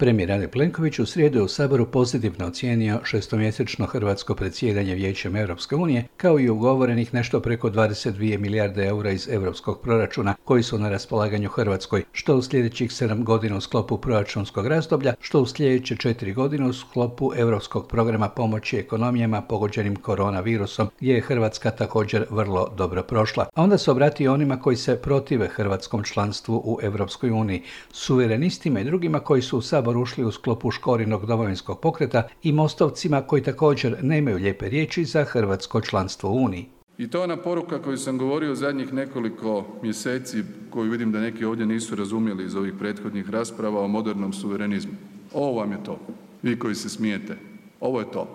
Premijer Andrej Plenković u srijedu je u Saboru pozitivno ocijenio šestomjesečno hrvatsko predsjedanje Vijećem Europske unije, kao i ugovorenih nešto preko 22 milijarde eura iz europskog proračuna koji su na raspolaganju Hrvatskoj, što u sljedećih 7 godina u sklopu proračunskog razdoblja, što u sljedeće 4 godine u sklopu europskog programa pomoći ekonomijama pogođenim koronavirusom, gdje je Hrvatska također vrlo dobro prošla. A onda se obratio onima koji se protive hrvatskom članstvu u Europskoj uniji, suverenistima i drugima koji su u Sabor ušli u sklopu Škorinog domovinskog pokreta i mostovcima koji također nemaju lijepe riječi za hrvatsko članstvo u Uniji. I to je ona poruka koju sam govorio zadnjih nekoliko mjeseci, koju vidim da neki ovdje nisu razumjeli iz ovih prethodnih rasprava o modernom suverenizmu. Ovo vam je to, vi koji se smijete. Ovo je to.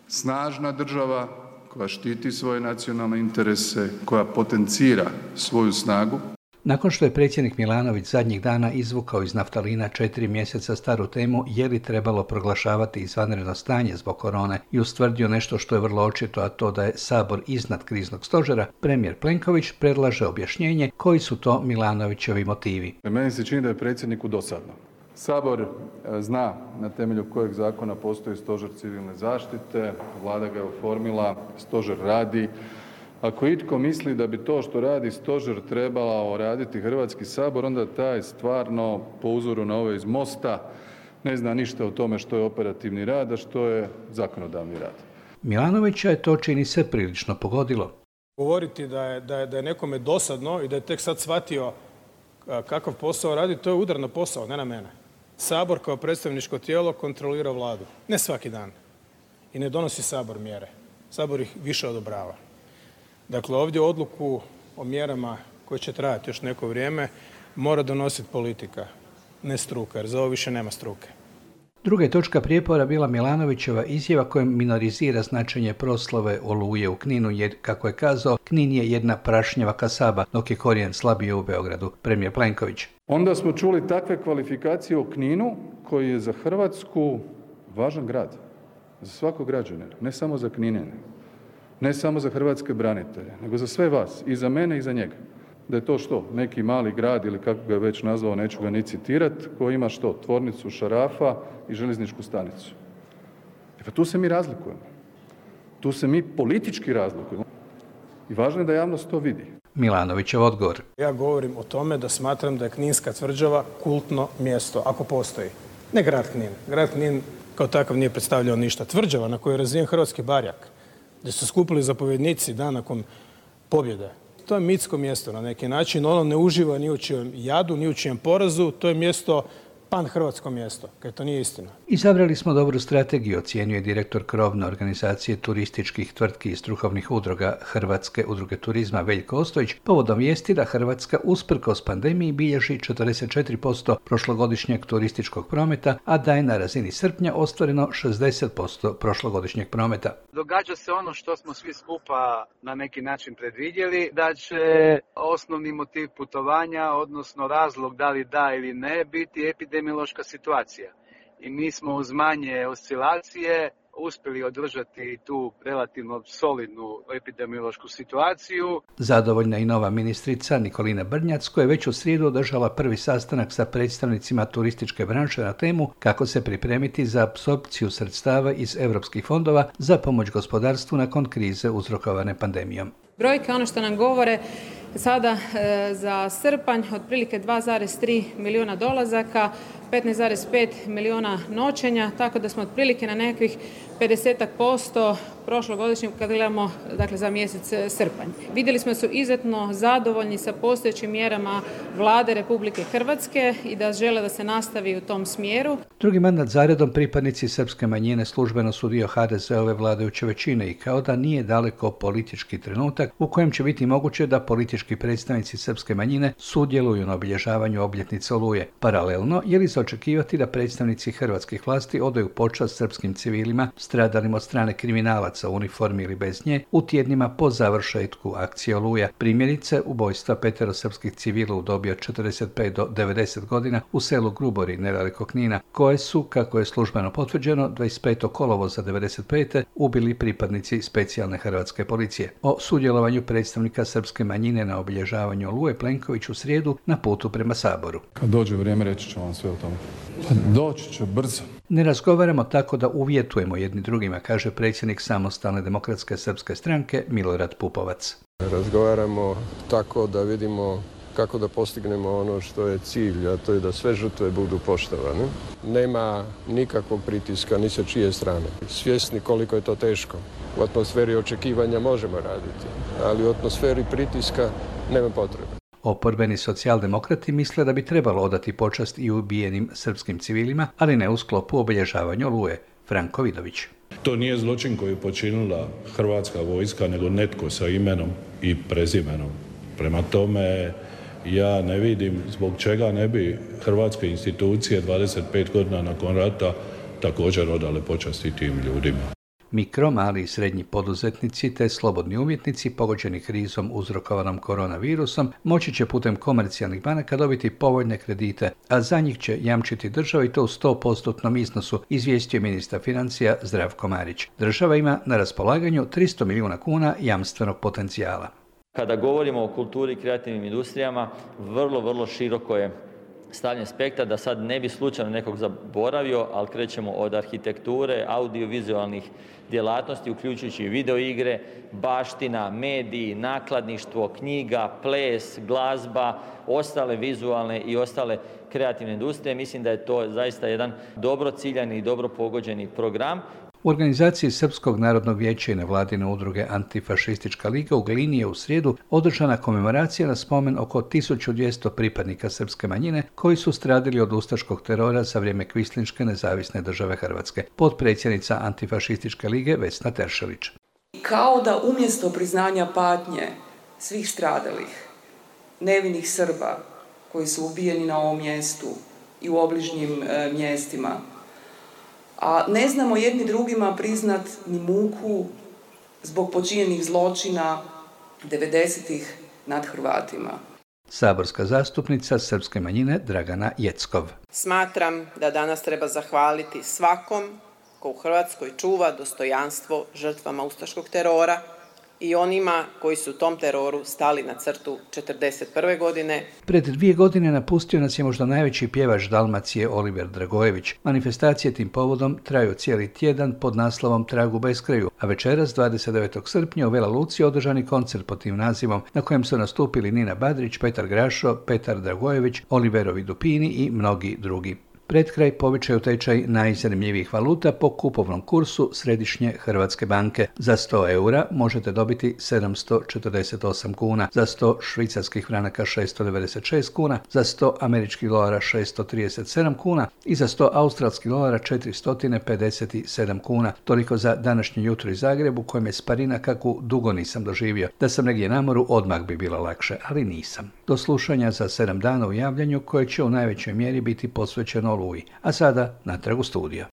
Snažna država koja štiti svoje nacionalne interese, koja potencira svoju snagu. Nakon što je predsjednik Milanović zadnjih dana izvukao iz naftalina 4 mjeseca staru temu je li trebalo proglašavati izvanredno stanje zbog korone i ustvrdio nešto što je vrlo očito, a to da je Sabor iznad kriznog stožera, premijer Plenković predlaže objašnjenje koji su to Milanovićevi motivi. Meni se čini da je predsjedniku dosadno. Sabor zna na temelju kojeg zakona postoji stožer civilne zaštite, vlada ga je oformila, stožer radi. Ako itko misli da bi to što radi stožer trebao raditi Hrvatski sabor, onda taj stvarno po uzoru na ove iz Mosta ne zna ništa o tome što je operativni rad, a što je zakonodavni rad. Milanovića je to, čini se, prilično pogodilo. Govoriti da je nekome dosadno i da je tek sad shvatio kakav posao radi, to je udar na posao, ne na mene. Sabor kao predstavničko tijelo kontrolira vladu. Ne svaki dan. I ne donosi Sabor mjere. Sabor ih više odobrava. Dakle, ovdje odluku o mjerama koje će trajati još neko vrijeme mora donositi politika, ne struka, jer za ovo više nema struke. Druga je točka prijepora bila Milanovićeva izjava kojom minorizira značenje proslave Oluje u Kninu, jer, kako je kazao, Knin je jedna prašnjava kasaba, dok je korijen slabije u Beogradu, premijer Plenković. Onda smo čuli takve kvalifikacije o Kninu, koji je za Hrvatsku važan grad, za svakog građanina, ne samo za Kninjane. Ne samo za hrvatske branitelje, nego za sve vas, i za mene i za njega. Da je to što? Neki mali grad ili kako ga je već nazvao, neću ga ni citirati, koji ima što? Tvornicu šarafa i željezničku stanicu. Pa tu se mi razlikujemo. Tu se mi politički razlikujemo. I važno je da javnost to vidi. Milanovićev odgovor. Ja govorim o tome da smatram da je Kninska tvrđava kultno mjesto, ako postoji. Ne grad Knin. Grad Knin kao takav nije predstavljao ništa. Tvrđava na kojoj je razvijen hrvatski barjak, gdje su skupili zapovjednici dan nakon pobjede. To je mitsko mjesto na neki način, ono ne uživa ni u čijem jadu, ni u čijem porazu, to je mjesto, pan-hrvatsko mjesto, kad to nije istina. Izabrali smo dobru strategiju, ocjenjuje direktor krovne organizacije turističkih tvrtki i strukovnih udruga Hrvatske udruge turizma Veljko Ostojić, povodom vijesti da Hrvatska usprkos pandemiji bilježi 44% prošlogodišnjeg turističkog prometa, a da je na razini srpnja ostvareno 60% prošlogodišnjeg prometa. Događa se ono što smo svi skupa na neki način predvidjeli, da će osnovni motiv putovanja, odnosno razlog da li da ili ne, biti epidemiološka situacija. I mi smo uz manje oscilacije uspjeli održati tu relativno solidnu epidemiološku situaciju. Zadovoljna i nova ministrica Nikolina Brnjac, koja je već u srijedu održala prvi sastanak sa predstavnicima turističke branše na temu kako se pripremiti za apsorpciju sredstava iz europskih fondova za pomoć gospodarstvu nakon krize uzrokovane pandemijom. Brojke, ono što nam govore, sada za srpanj otprilike 2,3 milijuna dolazaka, 15,5 milijuna noćenja, tako da smo otprilike na nekakvih 50% prošlogodišnjeg kad gledamo, dakle, za mjesec srpanj. Vidjeli smo su izuzetno zadovoljni sa postojećim mjerama Vlade Republike Hrvatske i da žele da se nastavi u tom smjeru. Drugi mandat zaredom pripadnici srpske manjine službeno su dio HDZ-ove vladajuće većine i kao da nije daleko politički trenutak u kojem će biti moguće da politički predstavnici srpske manjine sudjeluju na obilježavanju obljetnice Oluje. Paralelno, je li se očekivati da predstavnici hrvatskih vlasti odaju počast srpskim civilima stradalim od strane kriminalaca u uniformi ili bez nje u tjednima po završetku akcije Oluja. Primjerice, ubojstva 5 srpskih civila u dobi od 45 do 90 godina u selu Grubori, nedaleko Knina, koje su, kako je službeno potvrđeno, 25. kolovoza 95. ubili pripadnici specijalne hrvatske policije. O sudjelovanju predstavnika srpske manjine na obilježavanju Oluje Plenković u srijedu na putu prema Saboru. Kad dođe vrijeme reći ću vam sve o tome. tome. Doći će brzo. Ne razgovaramo tako da uvjetujemo jedni drugima, kaže predsjednik Samostalne demokratske srpske stranke Milorad Pupovac. Razgovaramo tako da vidimo kako da postignemo ono što je cilj, a to je da sve žrtve budu poštovane. Nema nikakvog pritiska ni sa čije strane. Svjesni koliko je to teško. U atmosferi očekivanja možemo raditi, ali u atmosferi pritiska nema potrebe. Oporbeni socijaldemokrati misle da bi trebalo odati počast i ubijenim srpskim civilima, ali ne u sklopu obilježavanja Oluje. Franko Vidović. To nije zločin koji je počinila hrvatska vojska, nego netko sa imenom i prezimenom. Prema tome, ja ne vidim zbog čega ne bi hrvatske institucije 25 godina nakon rata također odale počasti tim ljudima. Mikro, mali i srednji poduzetnici te slobodni umjetnici pogođeni krizom uzrokovanom koronavirusom moći će putem komercijalnih banaka dobiti povoljne kredite, a za njih će jamčiti država i to u 100% iznosu, izvijestio ministar financija Zdravko Marić. Država ima na raspolaganju 300 milijuna kuna jamstvenog potencijala. Kada govorimo o kulturi i kreativnim industrijama, vrlo široko je stavljen spektar, da sad ne bi slučajno nekog zaboravio, ali krećemo od arhitekture, audiovizualnih djelatnosti, uključujući videoigre, baština, mediji, nakladništvo, knjiga, ples, glazba, ostale vizualne i ostale kreativne industrije. Mislim da je to zaista jedan dobro ciljani i dobro pogođeni program. U organizaciji Srpskog narodnog vijeća i nevladine udruge Antifašistička liga u Glini je u srijedu održana komemoracija na spomen oko 1200 pripadnika srpske manjine koji su stradili od ustaškog terora za vrijeme Kvislinške nezavisne države Hrvatske. Potpredsjednica Antifašističke lige Vesna Teršelić. Kao da umjesto priznanja patnje svih stradalih, nevinih Srba koji su ubijeni na ovom mjestu i u obližnjim mjestima, a ne znamo jedni drugima priznat ni muku zbog počinjenih zločina 90-ih nad Hrvatima. Saborska zastupnica srpske manjine Dragana Jeckov. Smatram da danas treba zahvaliti svakom ko u Hrvatskoj čuva dostojanstvo žrtvama ustaškog terora i onima koji su tom teroru stali na crtu 1941. godine. Pred 2 godine napustio nas je možda najveći pjevač Dalmacije Oliver Dragojević. Manifestacije tim povodom traju cijeli tjedan pod naslovom Trag u beskraju, a večeras 29. srpnja u Vela Luci održani koncert pod tim nazivom na kojem su nastupili Nina Badrić, Petar Grašo, Petar Dragojević, Oliverovi Dupini i mnogi drugi. Pred kraj povećaju tečaj najzanimljivijih valuta po kupovnom kursu Središnje Hrvatske banke. Za 100 eura možete dobiti 748 kuna, za 100 švicarskih franaka 696 kuna, za 100 američkih dolara 637 kuna i za 100 australskih dolara 457 kuna. Toliko za današnje jutro iz Zagrebu, kojem je sparina kakvu dugo nisam doživio. Da sam negdje na moru, odmah bi bilo lakše, ali nisam. Do slušanja za 7 dana u javljanju koje će u najvećoj mjeri biti posvećeno Oluji. A sada natrag u studio.